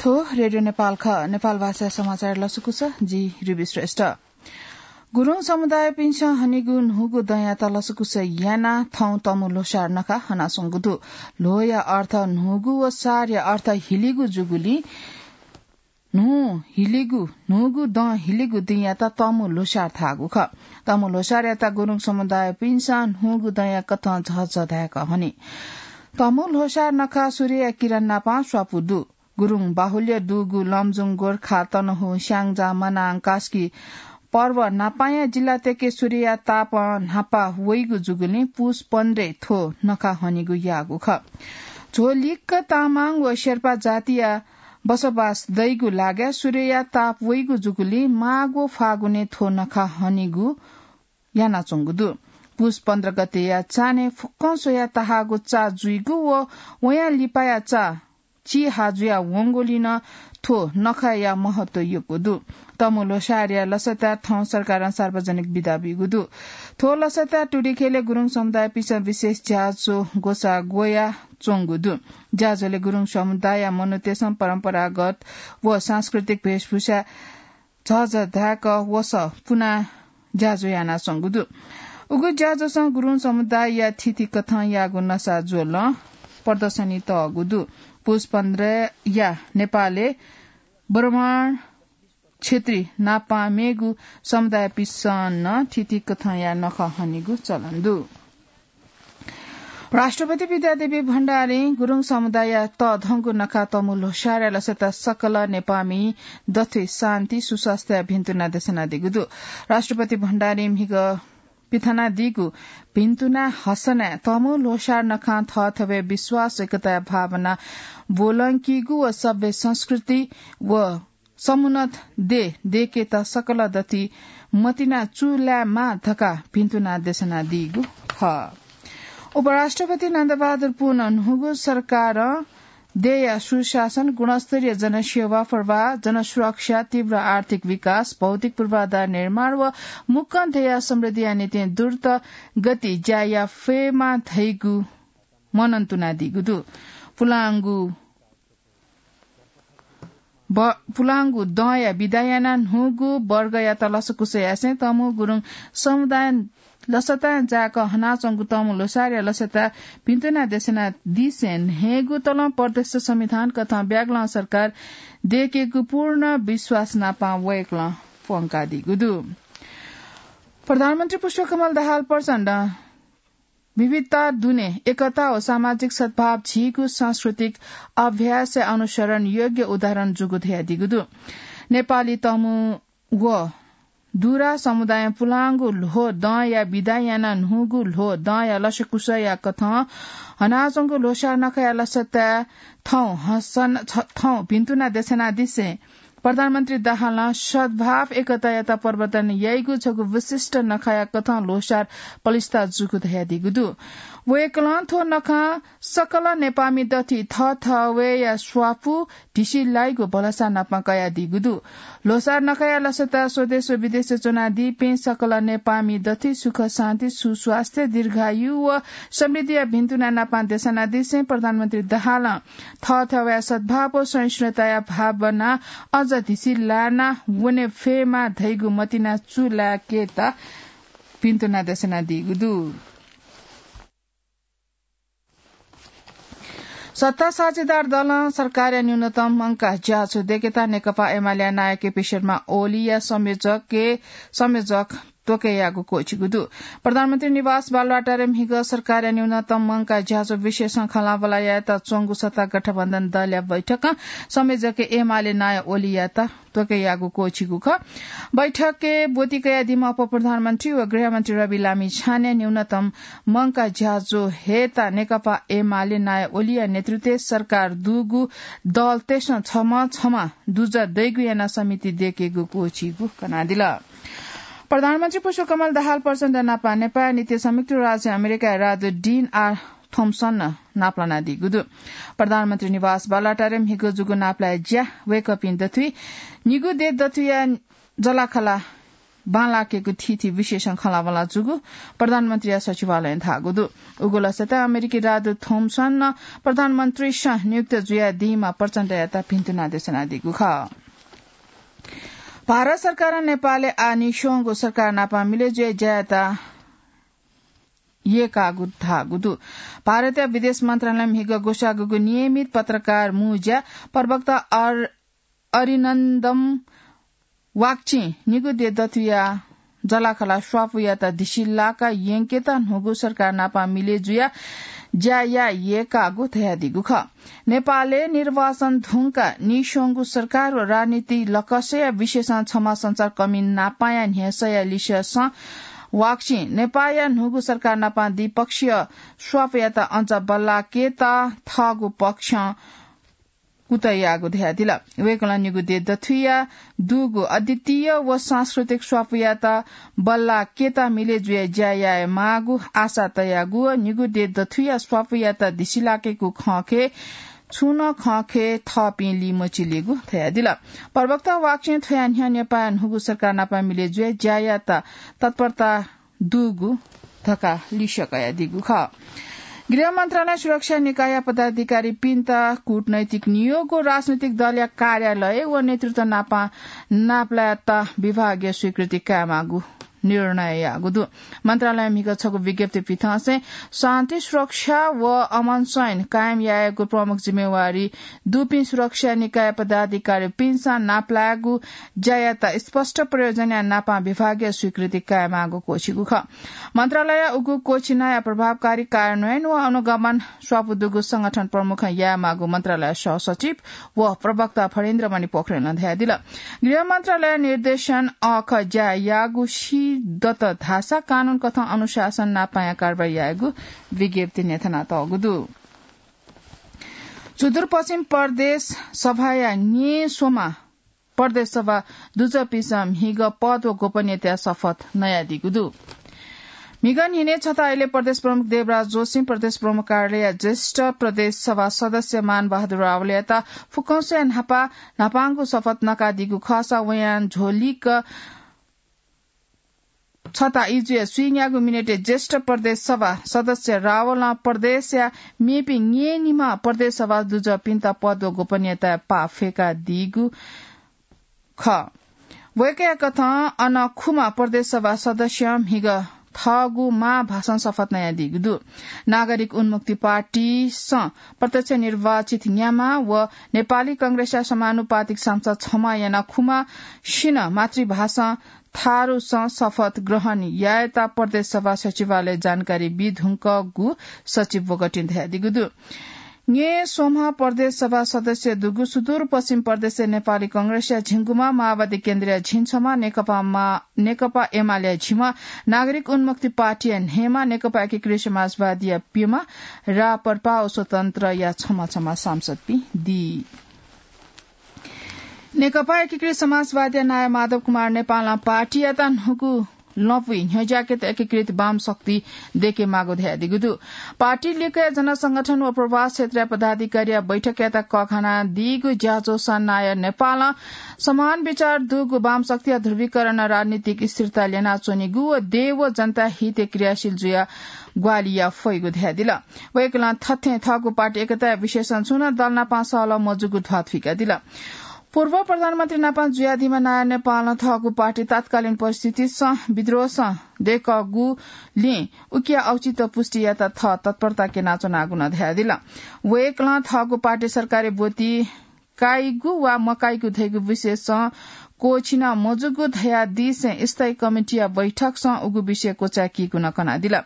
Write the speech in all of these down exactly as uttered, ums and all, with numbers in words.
थ्व रेडियो नेपाल खः। नेपाल भाषा समाचार लसकुस, जि रुबी श्रेष्ठ। गुरुङ समुदायपिन्सं हनीगु न्हूगु दँयात लसकुस यानाः थौं तमु ल्होसार नखा हनाच्वंगु दु। ल्होया अर्थ न्हूगु व सारया अर्थ हिलीगु जूगुलिं न्हू हिलीगु, न्हूगु दँ हिलीगु दिंयात तमु ल्होसार धाःगु खः। तमु ल्होसारयात गुरुङ समुदायपिन्सं न्हूगु दँया कथं झःझः धाय्‌क हनी। तमु ल्होसार नखा सूर्यया किरण नापं स्वापू दु। गुरुङ बाहुल्य दुगु लमजुङ, गोर्खा, तनहुँ, स्याङ्जा, मनाङ, कास्की पर्व न्हापांया जिल्लातय्‌के सूर्यया तापं न्हापा वइगु जूगुलिं पुस पन्ध्रय् थ्व नखा हनीगु याःगु खः। झ्वलिक्क तामाङ व शेर्पा जातिया बसोबास दइगु लागाय् सूर्यया ताप वइगु जूगुलिं माघ व फागुनय् थ्व नखा हनीगु यानाच्वंगु दु। पुस पन्ध्र गतेया चान्हय् फुक्कं स्वयाः ताहाःगु चा जुइगु व वयां लिपाया चा चिहा जुया वंगुलिं नं थ्व नखाया महत्व यक्व दु। तमु ल्होसारया लसताय् थौं सरकारं सार्वजनिक बिदा बीगु दु। थ्व लसताय् टुडिखेलय् गुरुङ समुदायपिन्सं विशेष ज्याझ्वः ग्वसाः ग्वया च्वंगु दु। ज्याझ्वलय् गुरुङ समुदायया मनूतय्‌सं परम्परागत व सांस्कृतिक भेषभूषा झःझः धाय्‌क वसः पुनाः ज्याझ्वः यानाच्वंगु दु। उगु ज्याझ्वलं गुरुङ समुदायया थीथी कथंयागु नसा ज्वलं प्रदर्शनी तःगु दु। पुस पन्ध्रया नेपालय् ब्राह्मण, क्षेत्री नापं मेगु समुदायपिन्सं नं थीथी कथंया नखः हनीगु चलन दु। राष्ट्रपति विद्यादेवी भण्डारीं गुरुङ समुदायया तःधंगु नखा तमु ल्होसारया लसताय् सकल नेपाःमि दथुइ शान्ति, सुस्वास्थ्य भिन्तुना देछानादीगु दु। राष्ट्रपति भण्डारीं म्हिगः पिथनादीगु भिन्तुना हसनाय् तमु ल्होसार नखां थःथवय् विश्वास, एकताया भावना ब्वलंकीगु व सभ्य संस्कृति व समुन्नत देय् दय्‌केत सकल दथुइ मतिना चूलायेमाः धकाः भिन्तुना देछानादीगु खः। उपराष्ट्रपति नन्दबहादुर पुनं न्हूगु सरकारं देय्‌या सुशासन, गुणस्तरीय जनसेवा प्रवाह, जनसुरक्षा, तीव्र आर्थिक विकास, भौतिक पूर्वाधार निर्माण व मुक्कं देय्‌या समृद्धिया निंतिं द्रुत गति ज्या याये फयेमाः धइगु मनंतुनादीगु दु। पुलांगु ब-, पुलांगु दँया बिदा यानाः न्हूगु वर्गयात लसकुस यासें तमु गुरुङ समुदायं लसताय् जाय्‌क हनाच्वंगु तमु ल्होसारया लसताय् भिन्तुना देछानादिसें न्हय्‌गू तलं प्रदेश संविधान कथं ब्यागलं सरकार दय्‌केगु पूर्ण विश्वास नापं वय्‌कलं प्वंकादीगु दु। प्रधानमन्त्री पुष्पकमल दाहाल प्रचण्डं विविधता दुने एकता व सामाजिक सद्भाव झीगु सांस्कृतिक अभ्यासया अनुसरण योग्य उदाहरण जूगु धयादीगु दु। नेपाली तमु व दुरा समुदायं पुलांगु ल्हो दँया बिदा यानाः न्हूगु ल्हो दँया लसकुसया कथं हनाच्वंगु ल्होसार नखाया लसताय् थौं हसन-, छ-, थौं भिन्तुना देछानादिसें प्रधानमन्त्री दाहालं सद्भाव एकतायात प्रवर्धन याइगु छगू विशिष्ट नखाया कथं ल्होसार पलिस्था जूगु धयादीगु दु। वय्‌कलं थ्व नखं सकल नेपाःमि दथुइ थःथवय्‌या स्वापू ढिसि लाइगु भलसा नापं कयादीगु दु। ल्होसार नखाया लसताय् स्वदेश व विदेशय् च्वनादीपिं सकल नेपाःमि दथुइ सुख, शान्ति, सुस्वास्थ्य, दीर्घायु व समृद्धिया भिन्तुना नापं देछानादिसें प्रधानमन्त्री दाहालं थःथवय्‌या सद्भाव व सहिष्णुताया भावना अझ ढिसि लाना वने फयेमाः धइगु मतिना चूलायेकेत भिन्तुना देछानादीगु दु। सत्ता साझेदार दलं सरकारया न्यूनतम मंकाः ज्याझ्वः दय्‌केत नेकपा एमालेया नायः केपी शर्मा ओलीया संयोजकय्, संयोजक त्वकय् याःगु क्वःछिगु दु। प्रधानमन्त्री निवास बालुवाटारय् म्हिगः सरकारया न्यूनतम मंकाः ज्याझ्वः विषयसं खँल्हाबल्हा यायेत च्वंगु सत्ता गठबन्धन दलया बैठकं संयोजकय् एमाले नायः ओलीयात त्वकय् याःगु क्वःछिगु खः। बैठकय् ब्वति कयादीम्ह उपप्रधानमन्त्री व गृहमन्त्री रवि लामिछानें न्यूनतम मंकाः ज्याझ्वः हयेत नेकपा एमाले नायः ओलीया नेतृत्वय् सरकार दुगु दलतय्‌सं छम्ह छम्ह दुजः दइगु यानाः समिति दय्‌केगु क्वःछिगु कनादिल। प्रधानमन्त्री पुष्पकमल दाहाल प्रचण्ड नापं नेपाःया निंतिं संयुक्त राज्य अमेरिकाया राजदूत डिन आर थोम्सनं नापलानादीगु दु। प्रधानमन्त्री निवास बालुवाटारय् म्हिगः जूगु नापलाये ज्या वय्‌कःपिं दथुइ निगू देय् दथुइया जःलाखःला बांलाकेगु थीथी विषयसं खँल्हाबल्हा जूगु प्रधानमन्त्रीया सचिवालयं धाःगु दु। उगु लसय्‌त अमेरिकी राजदूत थोम्सनं प्रधानमन्त्रीसं नियुक्त जुयादीम्ह प्रचण्डयात भिन्तुना देछानादीगु खः। भारत सरकारं नेपालय् आः नीस्वंगु सरकार नाप मिले जुयाः ज्या यायेत यय्‌कागु धाःगु दु। भारतया विदेश मन्त्रालयं म्हिगः ग्वसाःगु नियमित पत्रकार मुँज्या प्रवक्ता अर-, अरिनन्दम वाक्चिं निगू देय् दथुया जःलाखःला स्वापूयात दिसिलाका यंकेत न्हूगु सरकार नाप मिले जुयाः ज्या याये यय्‌कागु धयादीगु खः। नेपालय् निर्वाचन धुंकाः नीस्वंगु सरकार व राजनीतिक लकसया विषयसं छम्ह सञ्चारकर्मी नापाया न्ह्यसःया लिसें वाक्चिं नेपाःया न्हूगु सरकार नाप द्विपक्षीय स्वापूयात अचा बल्लाकेत थःगु पक्षं कुतः याःगु धयादिल। वय्‌कलं निगू देय् दथुया दुगु अद्वितीय व सांस्कृतिक स्वापूयात बल्लाकेत मिले जुयाः ज्या याये माःगु आशा तयागु व निगू देय् दथुया स्वापूयात दिसिलाकेगु खँखे छुं नं खँखे थःपिं लिमचिलेगु धयादिल। प्रवक्ता वाक्चिं थ्वया न्ह्यः नेपाःया न्हूगु सरकार नाप मिले जुयाः ज्या यायेत तत्परता दुगु धकाः लिसे कयादीगु खः। गृह मन्त्रालय सुरक्षा निकायया पदाधिकारीपिन्त कूटनैतिक नियोग व राजनैतिक दलया कार्यालय व नेतृत्व नाप नापलायेत विभागीय स्वीकृति कायेमाःगु निर्णय याःगु दु। मन्त्रालयं म्हिगः छगू विज्ञप्ति पिथंसें शान्ति सुरक्षा व अमन चैन कायम यायेगु प्रमुख जिम्मेवारी दुपिं सुरक्षा निकाय पदाधिकारीपिन्सं नापलायेगु ज्यायात स्पष्ट प्रयोजनया नाप विभागीय स्वीकृति कायेमाःगु क्वःछिगु खः। मन्त्रालयया उगु क्वःछिनाया प्रभावकारी कार्यान्वयन व अनुगमन स्वापू दुगु संगठन प्रमुखं यायेमाःगु मन्त्रालय सहसचिव व प्रवक्ता फणीन्द्रमणि पोखरेलं धयादिल। गृह मन्त्रालय निर्देशन अःखः ज्या याःगु सी दत धाःसा कानून कथं अनुशासन नापया कारवाही यायेगु विज्ञप्ति न्ह्यथनातःगु दु। सुदूरपश्चिम प्रदेश सभाया न्येस्वम्ह प्रदेश सभा दुजःपिन्सं म्हिगः पद व गोपनीयताया शपथ नयादीगु दु। म्हिगः न्हिनय् छता इलय् प्रदेश प्रमुख देवराज जोशीं प्रदेश प्रमुख कार्यालयया ज्येष्ठ प्रदेश सभा सदस्य मान बहादुर रावलयात फुक्कंसे न्हापा न्हापांगु शपथ नकादीगु खःसा वयां झ्वलिक छता इजुया स्वीन्यागू मिनेटय् ज्येष्ठ प्रदेश सभा सदस्य रावलं प्रदेशया मेपिं न्येनिम्ह प्रदेश सभा दुजःपिन्त पद व गोपनीयताया पाः फ्यकादीगु खः। वय्‌कःया कथं अन खुम्ह प्रदेश सभा सदस्यं म्हिगः थःगु मां भाषां शपथ नयादीगु दु। नागरिक उन्मुक्ति पार्टीसं प्रत्यक्ष निर्वाचित न्याम्ह व नेपाली कांग्रेसया समानुपातिक सांसद छम्ह यानाः खुम्हसिनं मातृभाषां थारुसं शपथ ग्रहण यायेत प्रदेश सभा सचिवालय जानकारी बी धुंकूगु सचिव बोगटिं धयादीगु दु। न्येस्वम्ह प्रदेश सभा सदस्य दुगु सुदूरपश्चिम प्रदेशय् नेपाली कांग्रेसया झिंगुम्ह, माओवादी केन्द्रया झिंछम्ह, नेकपा मा-, नेकपा एमालेया झिम्ह, नागरिक उन्मुक्ति पार्टीया न्हय्म्ह, नेकपा एकीकृत समाजवादीया प्यम्ह, राप्रपा व स्वतन्त्रया छम्ह छम्ह सांसदपिं दी। नेकपा एकीकृत समाजवादीया नायः माधव कुमार नेपालं पार्टीयात न्हूगु लँपुइ न्ह्यज्याकेत एकीकृत वाम शक्ति दयेकेमाःगु धयादीगु दु। पार्टी लिक्कया जनसंगठन व प्रवास क्षेत्रया पदाधिकारीया बैठकयात कःघानादीगु ज्याझ्वलय् नायः नेपालं समान विचार दुगु वाम शक्तिया ध्रुवीकरणं राजनीतिक स्थिरता ल्यनाच्वनीगु व देय् व जनता हितय् क्रियाशील जुयाः ग्वाहालि याये फइगु धयादिल। वय्‌कलं थथे थःगु पार्टी एकताया विषयसं छुं नं दल नाप सहलह मजूगु ध्वाथुइकादिल। पूर्व प्रधानमन्त्री नाप जुयादीम्ह नायः नेपालं थःगु पार्टी तात्कालीन परिस्थितिसं विद्रोहसं दय्‌कूगुलिं उकिया औचित्य पुष्टि यायेत थः तत्परता क्यनाच्वनागु नं धयादिल। वय्‌कलं थःगु पार्टी सरकारी ब्वति काइगु वा मकाइगु धइगु विषयसं क्वःछिना मजूगु धयादीसें स्थायी कमिटीया बैठकसं उगु विषय क्वचाय्‌कीगु नं कनादिल।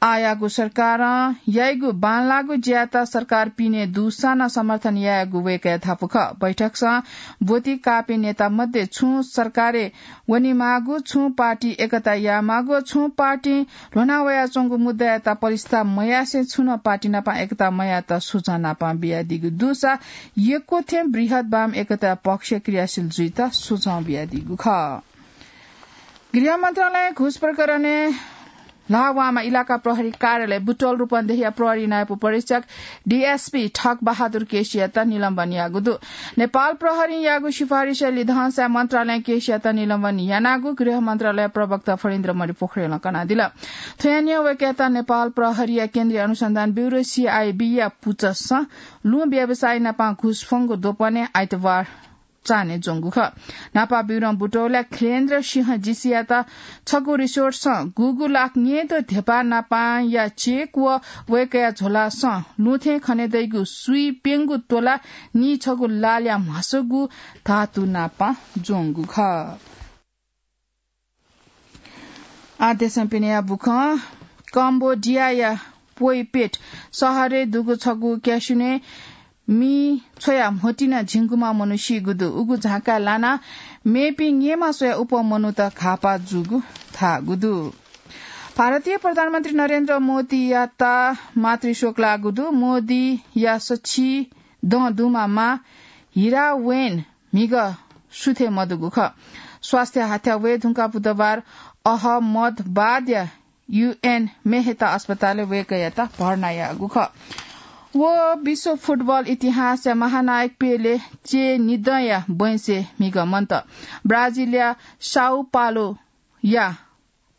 आःयागु सरकारं याइगु बांलाःगु ज्यायात सरकार पिने दुसां नं समर्थन यायेगु वय्‌कःया धापू खः। बैठकसं ब्वति काःपिं नेता मध्ये छुं सरकारय् वनेमाःगु, छुं पार्टी एकता यायेमाःगु, छुं पार्टी ल्ह्वना वयाच्वंगु मुद्दायात पलिस्था मयासें छुं नं पार्टी नाप एकता मयायेत सुझाव नाप बियादीगु दुसा यक्व थें बृहत वाम एकता पक्ष क्रियाशील जुइत सुझाव बियादीगु खः। गृह मन्त्रालयं घुस प्रकरणय् ल्हावामा इलाका प्रहरी कार्यालय बुटोल रूपन्देहीया प्रहरी नायब उपरीक्षक डीएसपी ठग बहादुर केसीयात निलम्बन याःगु दु। नेपाल प्रहरीयागु सिफारिसया लिधंसाय् मन्त्रालयं केसीयात निलम्बन यानागु गृह मन्त्रालय प्रवक्ता फणीन्द्र मणि पोखरेलं कनादिल। थ्वयां न्ह्यः वय्कःयात नेपाल प्रहरीया केन्द्रीय अनुसन्धान ब्यूरो, सीआईबीया पुचःसं लुँ व्यवसायी नाप घुस फ्वंगु द्वपनय् आइतबार चान्हय् ज्वंगु खः। न्हापा ब्यूरों बुटोलया खिलेन्द्र सिंह जीसीयात छगू रिसोर्टसं गुगू लाख न्यय्द्वः धेपा नापया चेक व वय्कःया झोलासं लुँ थें खनेदइगु सुइ प्यंगू तोला नीछगू लालया म्हासगू धातु नाप ज्वंगु खः। आः देशं पिनेया बुखँ। कम्बोडियाया पोइपेट शहरय् दुगु छगू क्यासिनोय् मि छ्वयाः म्होतिना झिंगुम्ह मनू सीगु दु। उगु झाँक्काय् लानाः मेपिं निम्ह स्वयाः अप्वः मनूत घाःपाः जूगु धाःगु दु। भारतीय प्रधानमन्त्री नरेन्द्र मोदीयात मातृशोक लाःगु दु। मोदीया सछि दँ दुम्ह मां हिरावेन म्हिगः सुथय् मदुगु खः। स्वास्थ्य हाथ्याः वये धुंकाः बुधबार अहमदाबादया यूएन मेहता अस्पतालय् वय्कःयात भर्ना याःगु खः। व विश्व फुटबल इतिहासया महानायक पेले चेनिदँया बैंसय् म्हिगः मन्त। ब्राजिलया साओ पाउलोया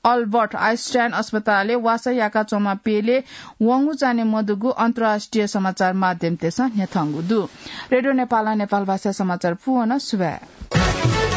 अल्बर्ट आइन्स्टाइन अस्पतालय् वासः याकाच्वंम्ह पेले वंगु चान्हय् मदुगु अन्तर्राष्ट्रिय समाचार माध्यमतय्सं न्ह्यथंगु दु। रेडियो नेपालं नेपाल भाषा समाचार पूवन सुभाय्।